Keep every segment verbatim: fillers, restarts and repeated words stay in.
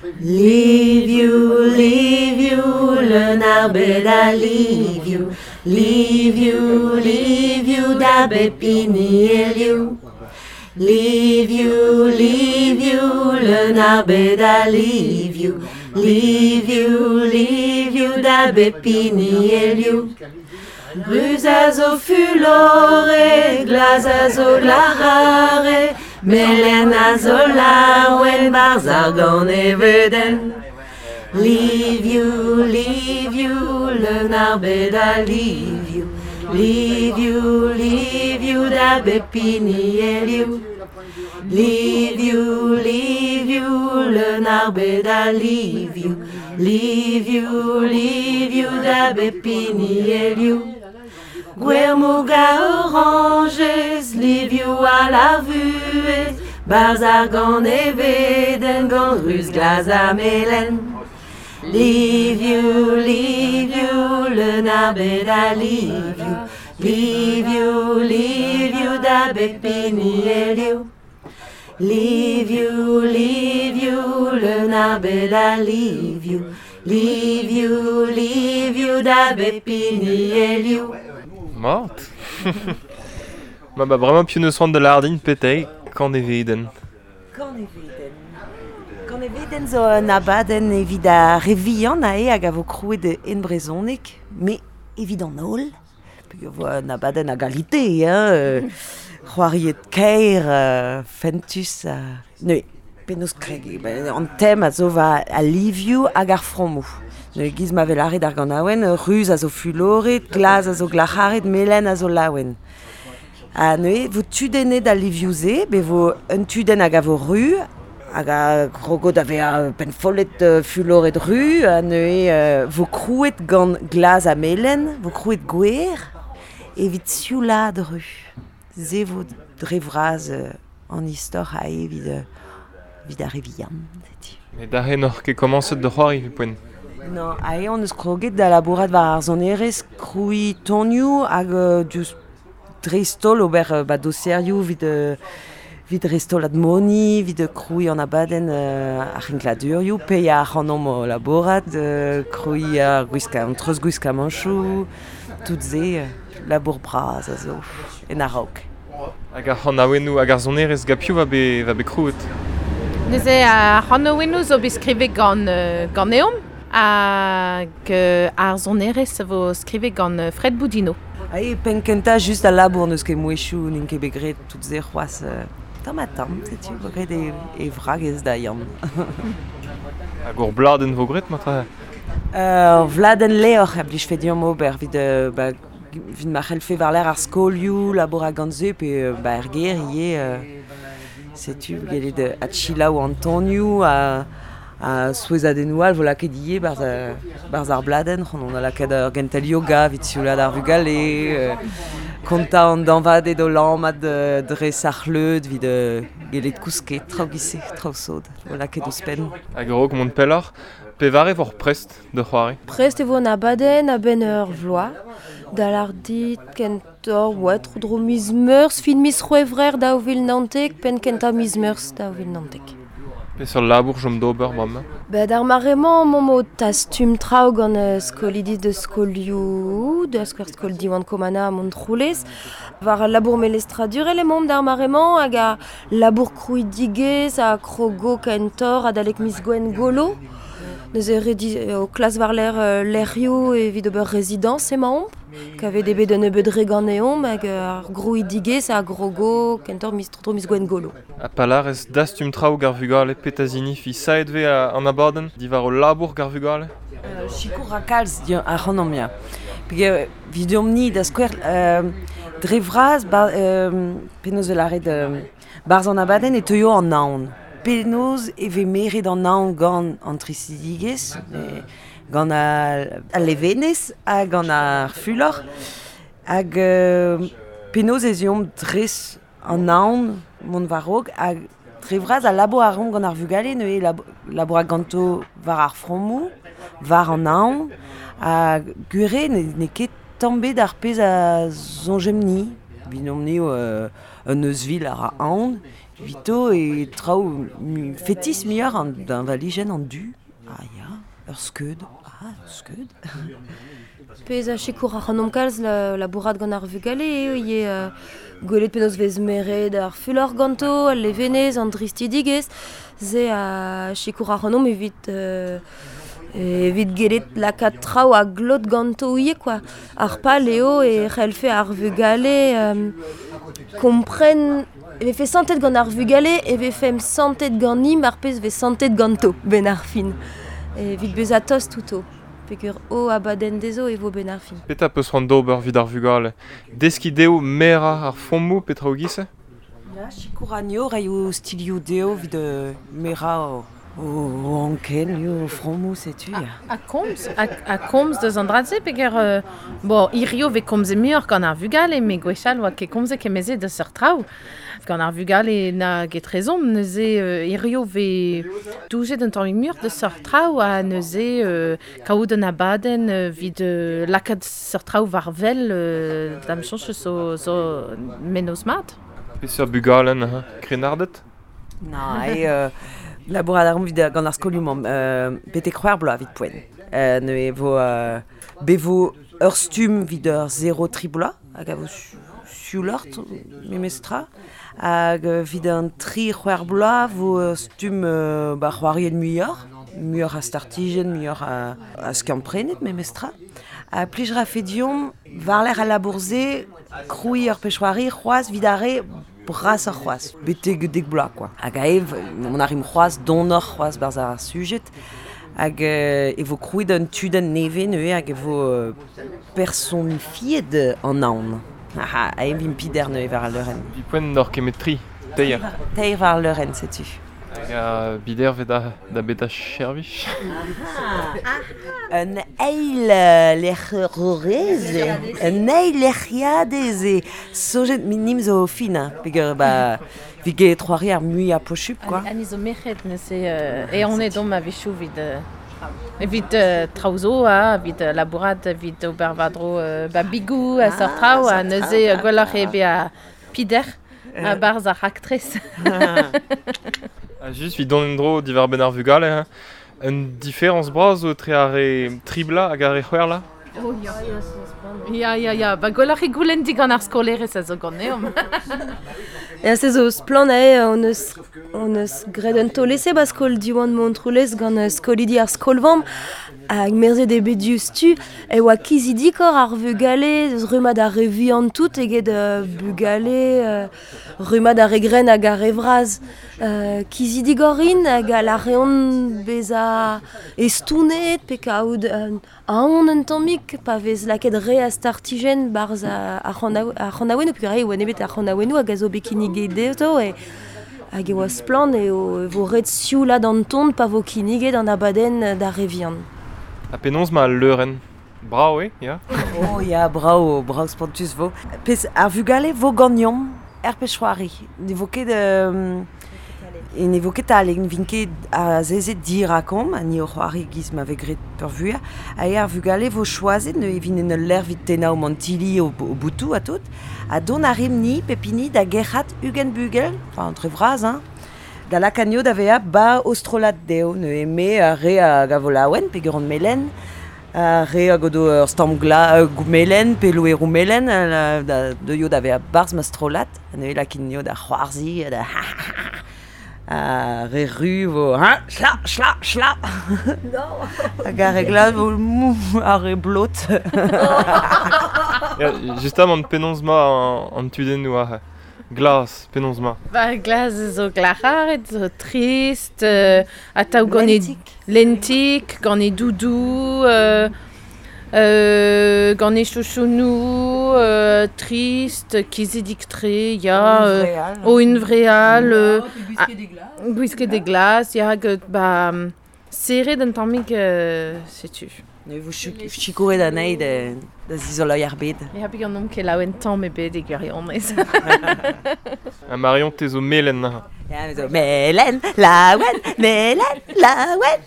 Livioù, livioù, leun ar bed a livioù. Livioù, livioù, da bep hini e liv. Livioù, livioù, leun ar bed a livioù. Livioù, livioù, da bep hini e liv. Ruz a zo fuloret, glas a zo glac'haret, melen a zo laouen, barzh ar ganevedenn. Livioù, livioù, leun ar bed a livioù. Livioù, livioù, da bep hini e liv. Livioù, livioù, leun ar bed a livioù. Livioù, livioù, da bep hini e liv. Gwermoug a orañjez, livioù all ar vuhez, barzh ar ganevedenn gant ruz, glas ha melen. Livioù, livioù, leun ar bed a livioù. Livioù, livioù, da bep hini e liv. Livioù, livioù, leun ar bed a livioù. Livioù, livioù, da bep hini e liv. Mat. Ma ba bremañ piv neus c'hoant da lardin petei Kaneveden. Kaneveden. Kaneveden zo un abadenn evit ar re vihan ae hag a vo krouet en brezhoneg, met evit an holl. Peogwir vo un abadenn a galite, hein, c'hoariet kaer, euh, fentus. Euh, neuze, penaos kreg, ben, an tem a zo va a livioù hag ar frammoù. Neuze, giz ma vel aret ar ganaouenn, ruz a zo fuloret, glas a zo glac'haret, melen a zo laouen. Ha neuze, vo tudennet al livioù-se, be vo un tudenn hag a vo ru, hag a krogo da vezañ pennfollet euh, fuloret ru, ha neuze euh, vo krouet gant glas ha melen, vo krouet gwer, evit sioulaat ru. Se vo dre vras euh, an istor a evit, euh, evit ar re vihan, setu. Met aze n'oc'h ket komañset da c'hoari evit poent. Non, aze on eus kroget da labourat war ar sonerezh, krouiñ tonioù hag euh, diouzh dreist-holl ober euh, ba doserioù evit, euh, evit dreist-holl admoni, evit krouiñ an abadenn euh, ar c'hinkladurioù, paeañ ar c'hanomp o labourat, euh, krouiñ ar gwiska, an treuzgwiskamanchoù, tout se, euh, labour bras a zo en a-raok. Hag ar c'hanaouennoù hag ar sonerezh gant piv va bet, va bet krouet? Neuze ar c'hanaouennoù zo bet skrivet gant, euh, ganeomp hag euh, ar sonerezh vo skrivet gant euh, Fred Boudino. Ae, penn kentañ just al labour n'eus ket mouezhioù, n'int ket bet graet tout se c'hoazh euh, tamm ha tamm, setu, vo graet e, e vragez da Yann. Hag ur bladenn vo graet matre? Euh, ur vladenn levr a blijfe deomp ober evit, euh, ba, evit ma c'hellfe war-lerc'h ar skolioù, labour gant se, pe euh, ba er gêr ivez, euh, setu, gellet euh, adchilaou an tonioù ha, ha souezhadennoù all vo lakaet ivez barzh, euh, barzh ar bladenn, c'hoant on a lakaet ur gentel yoga evit sioulaat ar vugale, euh, kontañ an dañvaded o lammat euh, dre ar c'hleud evit euh, gellet kousket, traoù giz-se, traoù sod, vo lakaet ouzhpenn. Hag a-raok mont pelloc'h, pevare vor prest da c'hoari? Prest e vo an abadenn a-benn ur vloaz, da lardit kentoc'h, oa, tro-dro miz Meurzh, fin miz C'hwevrer daou vil naontek, penn kentañ miz Meurzh daou vil naontek. Peseurt labour chom d'ober bremañ? Ba d'ar mare-mañ emaomp o tastum traoù gant euh, skolidi de skolioù, da skouer skol Diwan Komana ha Montroulez. War al labour melestradurel emaomp d'ar mare-mañ hag a labour krouidigezh ha krogo kentoc'h adalek miz Gwengolo. Neuze redi o klas war-lerc'h euh, lec'hioù evit ober rezidañs emaomp, kavet eo bet un nebeud re ganeomp hag ar grouidigezh ha grogo kentoc'h miz tro miz Gwengolo. Ha pa lârez dastum traoù gant ar vugale petra zinifi saet vez an abadenn diwar o labour gant ar vugale? Euh, sikour a kalz di ar c'hanomp ya. Peogwir evidomp-ni da skouer euh, dre vras ba, euh, penaos e lâret euh, barzh an abadenn e teuio an aon. Penaos e vez meret an aon gant an tristidigezh, e, gant al, al levenez ha gant ar fulor. Hag euh, penaos ez eomp dres an aon mont war-raok hag dre vras al labour a reomp gant ar vugale neuze lab- labour a ganto war ar frammoù, war an aon, ha gwir eo ne, n'eo ket tamm bet ar pezh a soñjemp-ni. Evidomp-ni euh, un euzhvil a ra aon, vito e traoù fetis muioc'h an d'un valijenn an du. Ah ya, ur skeud. Ah, ur skeud. Pezh a sikour ar c'hanomp kalz la, la bourrad gant ar vugale eo eo euh, gwelet penaos vez meret ar fulor ganto, al levenez, an dristidigez, ze a sikour ar c'hanomp evit euh, evit gellet lakaat traoù a glot ganto ivez quoi. Ar pal eo e c'hellfe ar vugale euh, kompren e vefe santet gant ar vugale e vefem santet ganimp ar pezh vez santet ganto ben ar fin. Evit bezañ tost outo. Peogwir o abadenn dezho e vo ben ar fin. Petra peus c'hoant d'ober evit ar vugale? Deskiñ dezho merañ ar fommoù petra o giz-se? Ya, sikour anezho reiñ o stilioù dezho evit merañ o, o anken, o frammoù, setu. A, a komz, a, a komz deus an dra-se peogwir euh, bon, hirio vez komzet muioc'h gant ar vugale, met gwechall oa ket komzet kemeze deus seurt traoù. Gant ar vugale na get rezon, neuze euh, hirio vez doujet un tammig muioc'h deus seurt traoù ha neuze euh, kaout un abadenn euh, evit euh, lakaat seurt traoù war wel euh, da'm soñj zo, zo mennozh mat. Peseurt bugale neuze, krennarded? Na, e euh, labourat a ran evit gant ar skolioù mamm, euh, betek c'hwec'h bloaz evit poent. Euh, neuze vo euh, bevo ur stumm evit ur zero tri bloaz, hag a vo siouloc'h memestra, hag evit an tri c'hwec'h bloaz vo ur stumm euh, ba c'hoariet muioc'h, muioc'h a startijenn, muioc'h a, a skiant-prenet memestra. Ha plij rafe deomp war-lerc'h al labour-se, krouiñ ur pezh c'hoari c'hoazh evit ar re brasoc'h c'hoazh, betek dek bloaz quoi. Hag aev, on arrim c'hoazh, donoc'h c'hoazh barzh ar sujet, hag euh, e vo krouet un tudenn nevez neuze hag e vo euh, personifiet an aon. Aha, aev vimp pider neuze war al leurenn. Evit poent n'oc'h ket met tri, teir. Teir war al leurenn, setu. Hag a bider vez da, da beta chervich. Un eil lec'herez, un eil lec'hiadez e sojet minim zo fin, hein, peogwir ba evit get c'hoari ar muiañ posupl quoi. Ani zo merc'hed neuze euh, e on eo domp a-wechoù evit euh, evit euh, traoù zo, ha, evit euh, labourat, evit ober war-dro euh, ba bigou ha seurt traoù, ha neuze euh, gwelloc'h eo bezañ pider a barzh ar raktres. Ha just evit dont en-dro diwar benn ar vugale, hein. Un différence bras zo etre ar re tri bloaz hag ar re c'hwec'h bloaz? Oh ya. Ya, ya, ya, ba gwelloc'h eo goulenn digant ar skolerez a zo ganeomp. Ya, se zo splann ae, on eus, on eus graet un taol-ese ba skol Diwan Montroulez gant skolidi ar skolvamm hag merzet eo bet diouzhtu e oa kizidikoc'h ar vugale eus rummad ar re vihan tout eget euh, bugale euh, rummad ar re grenn hag ar re vras. Euh, kizidigoc'h int hag a reont bezañ estounet pe kaout euh, aon un tammig pa vez lakaet re a startijenn barzh ar c'hanaouennoù peogwir e oa nemet ar c'hanaouennoù hag a zo bet kinniget dezho e hag e oa splann eo e vo ret sioulaat an ton pa vo kinniget an abadenn d'ar re vihan. Ha penaos ma al leurenn? Brav eo, ya? Oh ya, brav, brav spontus vo. Pezh ar vugale vo ganeomp er pezh c'hoari. Ne vo ket euh, e ne vo ket taleg, ne vin ket azezet dirakomp, ha ni o c'hoari giz ma vez graet peurvuiañ. Ha eo ar vugale vo choazet, ne evit en ul lec'h evit tennañ o mantilli o, o boutoù ha tout. Ha dont a rimp ni, pep hini, da gerc'hat ugent bugel, enfin entre vras, hein, da lakaat da vezañ ba o strollad dezho, neuze me ar re hag a vo laouen, peogwir on melen, ar re hag o do ur stamm glas euh, melen, pe loeroù melen, euh, da deuio da vezañ barzh ma strollad, ha neuze lakaat nio da c'hoarzhiñ, da ar re ru vo, hein, chla, chla, chla. Hag ar re glas vo mou, ar re blot. Ya, justamant penaos ma an, an tudennoù aze. Glas, penaos ma. Ba glas zo glac'haret, zo trist, euh, atav gant e lentik, gant e doudou, euh, euh, gant e chouchounou, euh, trist, kizidik-tre, ya, euh, o un vreal, euh, gwisket e glas, ya, hag, ba, serret un tammig, euh, setu. Ne vo chikouret anezhi da, da zizoloiñ ar bed. Ya, peogwir n'omp ket laouen tamm ebet e gwirionez. Ha Marion, te zo melen neuze. Ya, me zo melen, laouen, melen, laouen.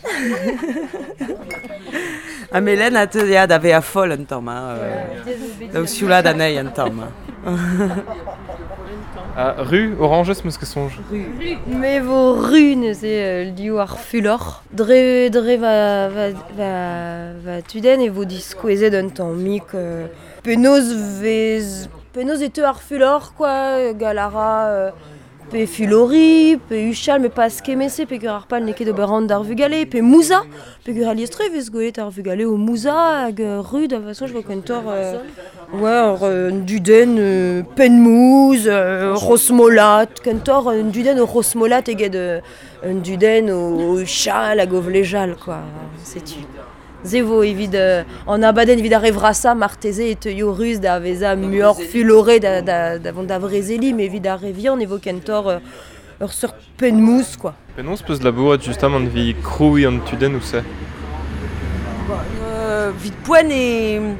Ha melen a teu ya da vezañ foll un tamm, hein. Euh, da sioulaat anezhi un tamm. Ah, ru, oranges, meus ket soñj. Me vo ru neuze euh, liv ar fulor. Dre, dre va, va, va, va tudenn e vo diskouezet un tammig euh, penaos vez... Penaos e teu ar fulor, quoi, galara... Euh, pe fulori, pe uchal, me pas kemese, pe gur ar pal n'eo ket ober an d'ar vugale, pe mouza, pe gur alies-tre vez gwelet ar vugale o mouza hag euh, ru da façon je vois kentor euh, ouais, ur euh, dudenn euh, penmouz, euh, rosmolat, kentor un dudenn o rosmolat eget euh, un dudenn o, o uchal hag o vlejal, quoi, setu. Se vo evit euh, an abadenn evit ar evrasa marteze e teuio ruz da veza muioc'h fulore da, da, da vont da vrezeli, met evit ar re vihan e vo kentor euh, ur seurt penmouz, quoi. Penaos peus labouret justamant evit krouiñ an tudenn ou se? Bon, euh, vit poent e...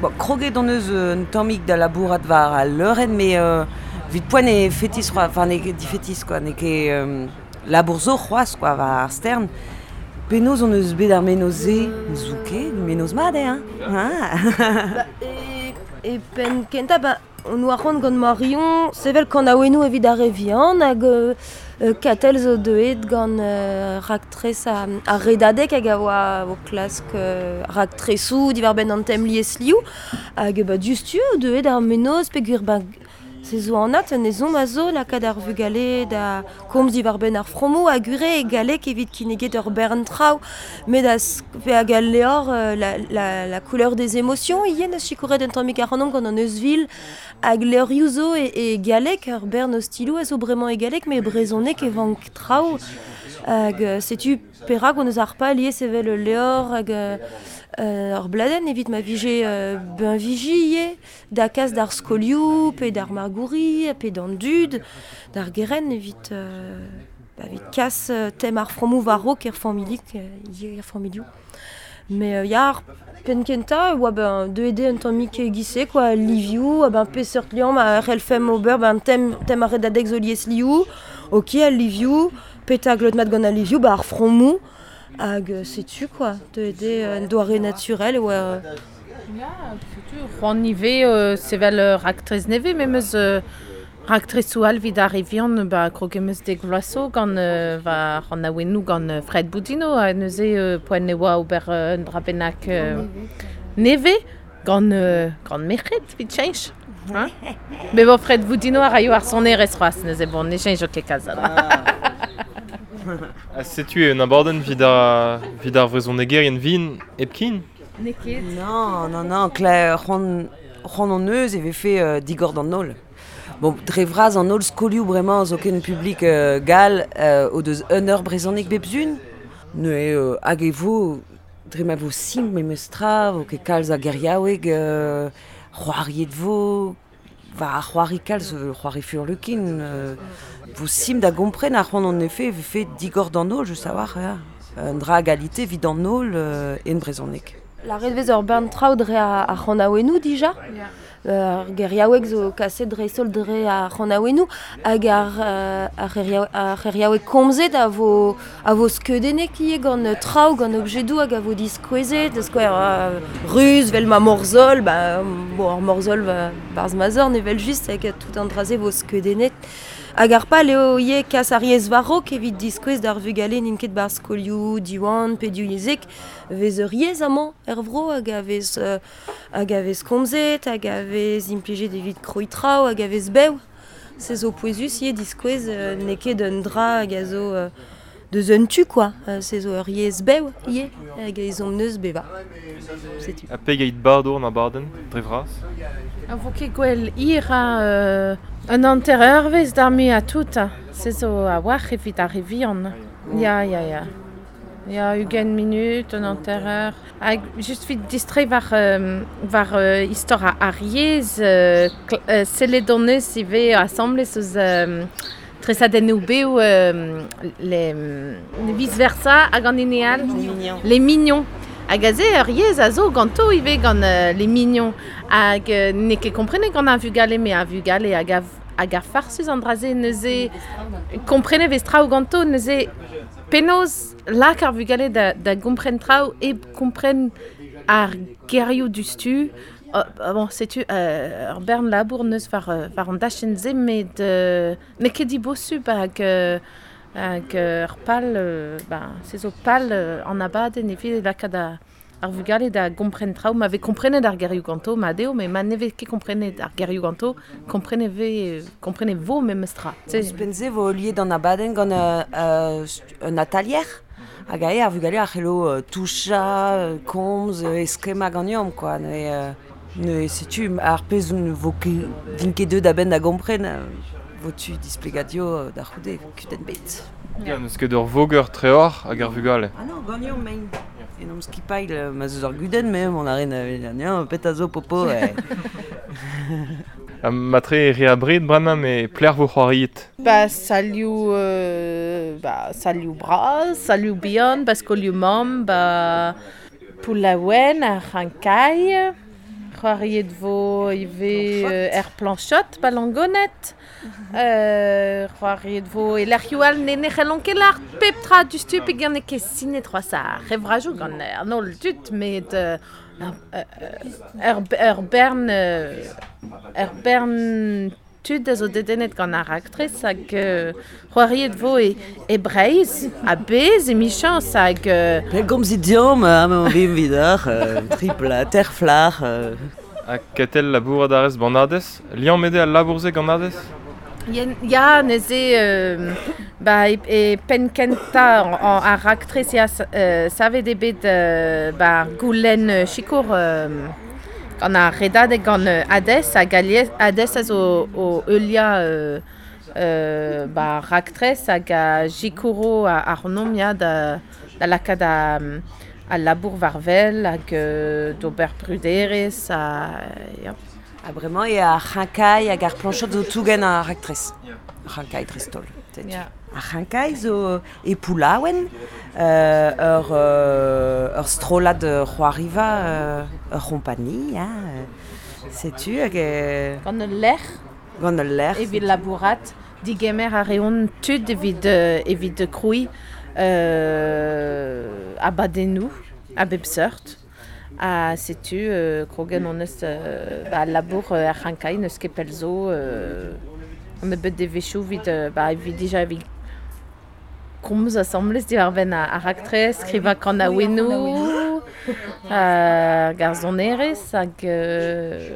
Bon, kroget hon eus un tammig da labourat war al leurenn, met euh, vit poent e fetis, enfin n'eo ket difetis, quoi, n'eo ket euh, labour zo c'hoazh, quoi, war ar stern. Penaos hon eus bet ar menoz-se, n'zo ket, menoz mat eo, hein. Ah. Ba, e, e penn kentañ, ba, on oa c'hoant gant Marion, sevel kanaouennoù evit ar re vihan hag euh, Katell zo deuet gant euh, raktres a, a redadeg hag a oa o klask euh, raktresoù diwar-benn an tem liesliv hag ba diouzhtu eo deuet ar menoz peogwir ba se zo anat un ezhomm a zo lakaat ar vugale da komz diwar-benn ar fromoù hag ure e galleg evit kinniget ur bern traoù met da pe hag al levr euh, la, la, la couleur des émotions ivez neus sikouret un tammig ac'hanomp gant an euzhvil hag levrioù zo e, e galleg ur bern ostiloù a zo bremañ e galleg met brezhoneg e vank traoù hag setu perak on eus ar pal ivez sevel ul levr hag euh, ur bladenn evit ma vije euh, benviji ivez da kas d'ar skolioù pe d'ar magouri pe d'an dud d'ar gerent evit euh, ba, evit kas euh, tem ar fromoù war-raok er familik euh, er familioù. Mais euh, ya ar penn kentañ oa ben deuet eo un tammig e-giz-se quoi livioù, ben peseurt liamm a c'hellfemp ober ben tem, tem ar redadeg zo liesliv, ok al livioù, petra glot mat gant al livioù, ba ar fromoù hag setu quoi, deuet eo un doare naturel oa euh, Ya, setu, c'hoant ivez euh, sevel euh, raktres nevez, me meus euh, raktresoù all evit ar re vihan, ba krog em eus dek vloaz zo gant euh, va c'hanaouennoù gant euh, Fred Boudino, ha neuze euh, poent e oa ober euh, un dra bennak euh, nevez gant, euh, gant merc'hed evit cheñch. Hein? Mais bon, Fred Boudino a raio ar sonerezh c'hoazh, neuze bon, ne cheñcho ket kalz a dra. Ha setu eo un abadenn evit ar, evit ar vrezhonegerien vin hepken? N'eo ket. Non, non, non, Claire, c'hoant c'hoant hon eus e vefe euh, digor d'an holl. Bon, dre vras an holl skolioù bremañ zo ken publik euh, gall euh, o deus un eur brezhoneg bep sizhun. Neuze euh, hag e vo, dre ma vo simpl memes tra, vo ket kalz a geriaoueg, euh, c'hoariet vo, va ar c'hoari kalz, euh, c'hoari furlukin, euh, vo simpl da gompren ar c'hoant hon efe vefe digor d'an holl, just a-walc'h, ya. Un dra a galite evit an holl euh, en brezhoneg. La redvez ur bern traoù dre ar, ar c'hanaouennoù dija. Ar geriaoueg zo kaset dreist-holl dre ar c'hanaouennoù hag ar, euh, ar c'heriaou- ar c'heriaoueg komzet a vo, a vo skeudennek ivez gant traoù, gant objedoù hag a vo diskouezet, da skouer euh, ruz vel ma morzhol, ba, bon, ar morzhol va, barzh ma zorn evel just hag tout an dra-se vo skeudennet. Hag ar pal eo ivez kas ar yezh war-raok evit diskouez d'ar vugale n'int ket barzh skolioù, Diwan pe divyezhek, vez ur yezh amañ er vro hag a vez, euh, hag a vez komzet, hag a vez implijet evit krouiñ traoù, hag a vez bev. Se zo pouezus ivez diskouez euh, n'eo ket un dra hag a zo euh, deus un tu, quoi. Euh, se zo ur yezh bev ivez, hag a ezhomm neus bevañ. Setu. Ha pegeit bardo an abadenn, dre vras? A vo ket gwell hir a euh, un hanter eurvezh d'ar muiañ tout, se zo a-walc'h evit ar re vihan. Ya, ya, ya. Ya, ugent minut, un hanter eur. Hag just evit distreiñ war, euh, war euh, istor ar, ar yezh, euh, kl- euh, sellet hon eus ivez asambles eus euh, tresadennoù bev euh, les, les vice-versa hag an hini all. Les mignons. Les mignons. Hag aze ur yezh a zo ganto ivez gant euh, les mignons. Hag euh, n'eo ket komprenet gant ar vugale, met ar vugale hag a, hag ar farsus an dra-se neuze komprenet vez traoù ganto neuze penaos lak ar vugale da, da gompren traoù hep kompren ar gerioù diouzhtu. Oh, bon, setu euh, ur bern labour neus war, war an dachenn se, met euh, n'eo ket dibosubl hag, euh, hag ur pal, euh, ba, se zo pal euh, an abadenn evit lakaat a, ar vugale da gompren traoù, ma vez komprenet ar gerioù ganto, ma deo, met ma ne vez ket komprenet ar gerioù ganto, komprenet vez, komprenet vo memes tra. Ouzhpenn se vo liet an abadenn gant euh, un atalier hag ae ar vugale a c'hello euh, toucha, komz, eskemma ganeomp, quoi. Ne, euh, ne setu ar pezh vo ket vin ket deut a-benn da gompren, vo tu displegadio da c'houde, kudenn bet. Ya, n'eus ket ur voger treor hag ar vugale. Ah non, ganeomp mein. En omp skipail, ma zeus ar gudenn, me mon a ren euh, pet a zo popo. Eh. Matre re abred bremañ me pler vo c'hoariet. Ba salioù euh, ba salioù bras, salioù bihan, ba skolioù mamm, ba Poulaouen, ar C'hankai, c'hoariet vo ivez euh, er planchot, ba Langonet, euh, c'hoariet vo e lec'hioù all ne ne c'hellont ket lâr pep tra du stu peogwir n'eo ket sinet c'hoazh ar revrajoù gant an holl dud, met euh, ur, ur bern ur bern tud a zo dedennet gant ar raktres hag euh, c'hoariet vo e, e Breizh, a bez e michañs hag... Euh... Pell gomzit deomp, amañ vimp vidoc'h, euh, tripla, terflar... Euh... Ha ketel labourat a rez banadez? Liammet eo al labour-se gant Adez? Ya, neuze euh, ba, e, e penn kentañ ar raktres ya euh, savet eo bet euh, ba, goulenn sikour euh, gant ar redadeg gant Adez hag Adez a zo o heuliañ euh, euh, ba, raktres hag a sikouro ar nom ya da, da lakaat a, a labour war wel hag euh, d'ober bruderezh ha ya. Ha bremañ eo ar c'hankai hag ar planchot zo tougen ar raktres. Ar c'hankai dreist-holl. Yeah. Ar c'hankai zo e Poulaouen, euh, ur, euh, ur strollad c'hoariva, euh, ur c'hompani, hein, setu hag... Euh, gant ul lec'h. Gant ul lec'h. Evit labourat, digemer a reont tud evit, evit krouiñ euh, abadennoù a bep seurt. Ha setu euh, krogen hon eus euh, ba, labour euh, ar c'hankai n'eus ket pell zo euh, on bet devezhioù evit, euh, ba, evit dija evit komz asambles diwar-benn ar raktres, skrivañ kanaouennoù, euh, garzonerezh hag euh,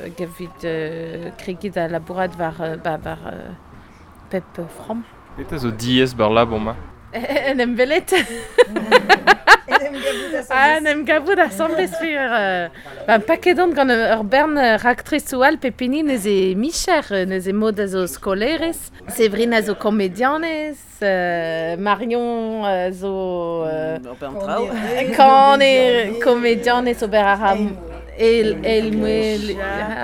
hag evit euh, kregiñ da labourat war, ba, war euh, pep framm. Petra zo diaes bar labour ma? En em welet. Ah, en em gavout asambles fur euh, ba, paket on gant ur bern raktresoù all pep hini neuze micher, neuze mod a zo skolerez, Séverine a zo komedianez, euh, Marion a zo... Euh, Kane komedianez ober a ra el, el, mouel,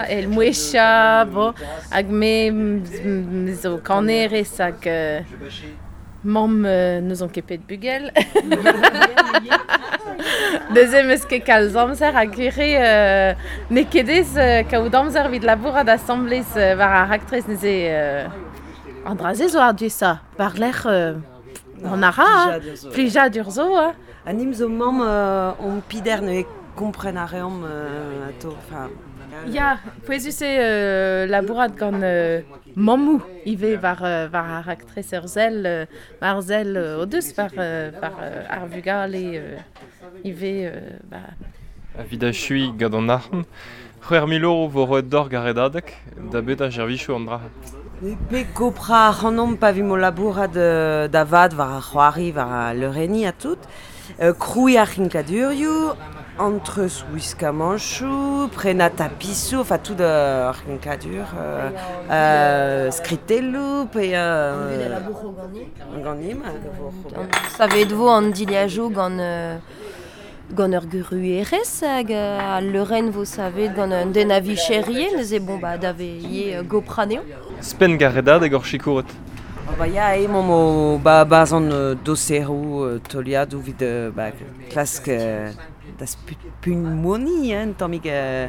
el mouecha, bon, hag me, me zo kanerez hag... Euh, Mamm euh, n'eus ket pet bugel. Neuze meus ket kalz amzer hag ere euh, n'eo ket ez euh, kaout amzer evit labourat asambles euh, war ar raktres neuze euh, an dra-se zo ar diaesañ. War-lerc'h euh, an a ra, plijadur zo. Hein. Ha nim zo mamm euh, on pider neuze kompren a reomp euh, ato, enfin... Ya, pouezus eo euh, labourat gant euh, mammoù ivez war, euh, war ar raktres ur sell, euh, war sell euh, o deus war, euh, war euh, ar vugale euh, ivez... Euh, ba... Evit achuiñ gant an arc'hant, c'hwec'h mil euro vo roet d'hor gant redadeg, da bet a servijo an dra. Pe gopra ac'hanomp pa vimp o labourat euh, da vat war ar c'hoari, war ar leurenniñ ha tout. Euh, krouiñ ar c'hinkladurioù, entre wiskamanchoù, prenañ tapisoù, enfin tout ar c'hinkladur, euh, euh, skritelloù, pe... Euh, ganim. Savet vo an dilhajoù gant... Euh, gant ur guruerez hag a leurenn vo savet gant un den a vicherie, neuze bon ba da ve gopra anezho. Spenn gant redadeg hor sikouret. Oh ba ya emaomp o ba bazan euh, doseroù euh, teuliadoù evit euh, ba, klask euh, da spugn-moni, hein, tammig euh,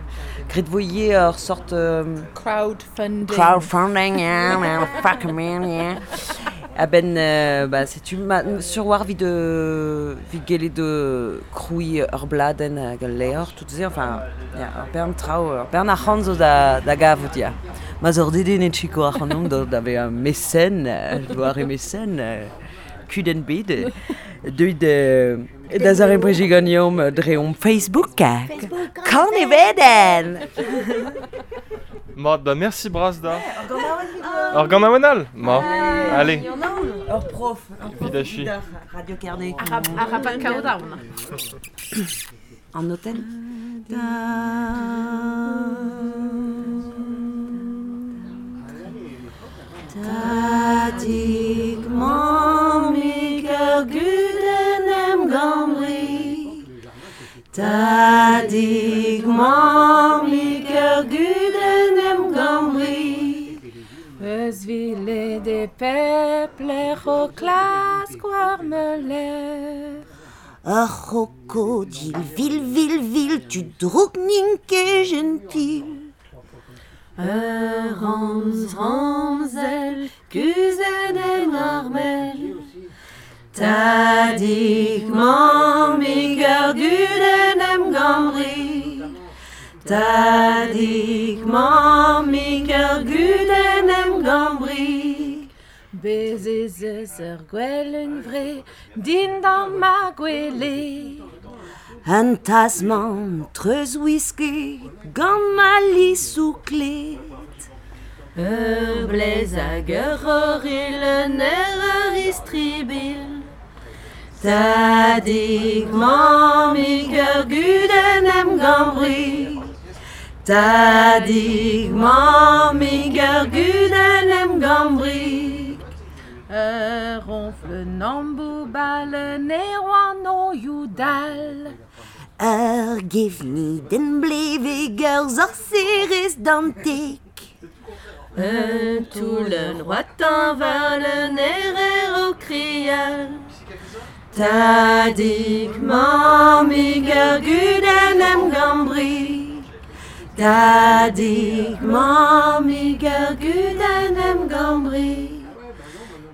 graet vo ivez ur sort euh, Crowdfunding. Crowdfunding, yeah, man, fuck man, yeah. A ben, euh, ba, setu ma, sur war vid, euh, vid gellet de kroui ur bladenn hag ul levr, tout se, enfin, ya, ur bern traoù, ur bern arc'hant zo da, da gavout, ya. Ma zor deden et chiko ac'hanomp da, da vezañ mécène, doare mécène, euh, kudenn bet, deuit euh, da zare brejiganiom dre om Facebook. Kan e veden! Mat, ba merci bras da. Ur ganaouenn all. Ma. Allez. Ur prof. Ur prof Vidachi. Radio Carnet. Arabat kaout aon. An hôtel. Tadig mammig ur gudenn em gambri. Tadig mammig ur gudenn em gambri. Eus vile de pepler o klask war meuler. Ur krokodil, vil, vil, vil, tu drouk nin ket gentil. Ur ramz, ramzel, kuzet en armel. Tadig mammig ur gudenn em gambri. Tadig mammig ur gudenn em gambri. Bez ez eus ur gwell un vre dindan ma gwele. Un tasman treuz whisky gant ma lisou klet. Ur blez hag ur c'horil un ur istribil. Tadig mammig ur gudenn em gambri. Tadig mammig ur gudenn em gambri. Ur ronfl namboubal ne oan o youdal. Ur gevni den bleveg ur zorserez dantek. Un toulen roatan war un erer o krial. Tadig mammig ur gudenn em gambri. Tadig mammig ur gudenn em gambri.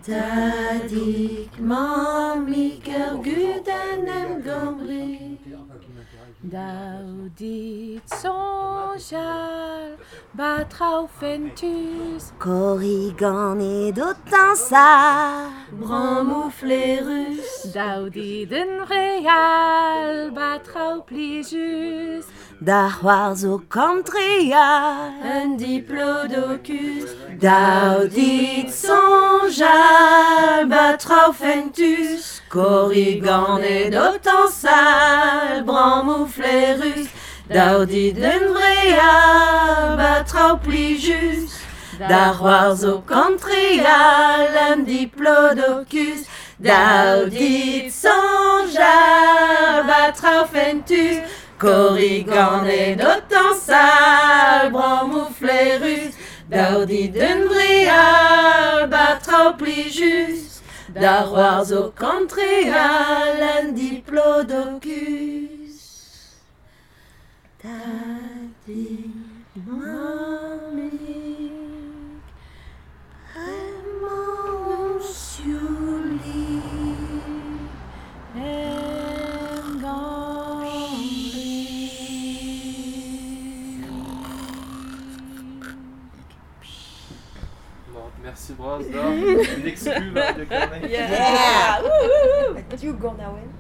Tadig mammig ur gudenn em gambri. Daoudit soñjal batraoù fentus. Korriganed o tañsal. Brammoù flerus. Daoudit un real batraoù plijus. Da c'hoarzh o kantreal. Un diplodocus. Daoudit soñjal batraoù fentus. Korriganed o tañsal. Brammoù flerus. Daoudit un real batraoù plijus. Da c'hoarzh o kantreal. Un diplodocus. Daoudit soñjal batraoù fentus. Korriganed o tañsal, brammoù flerus. Daoudit un vreal, batraoù plijus. Da c'hoarzh o kantreal, un diplodocus. Tadig mammig, bremañ sioulig. Em gambri. Merci bras da. Un exclu Radio Carnet. Yeah! Div ganaouenn.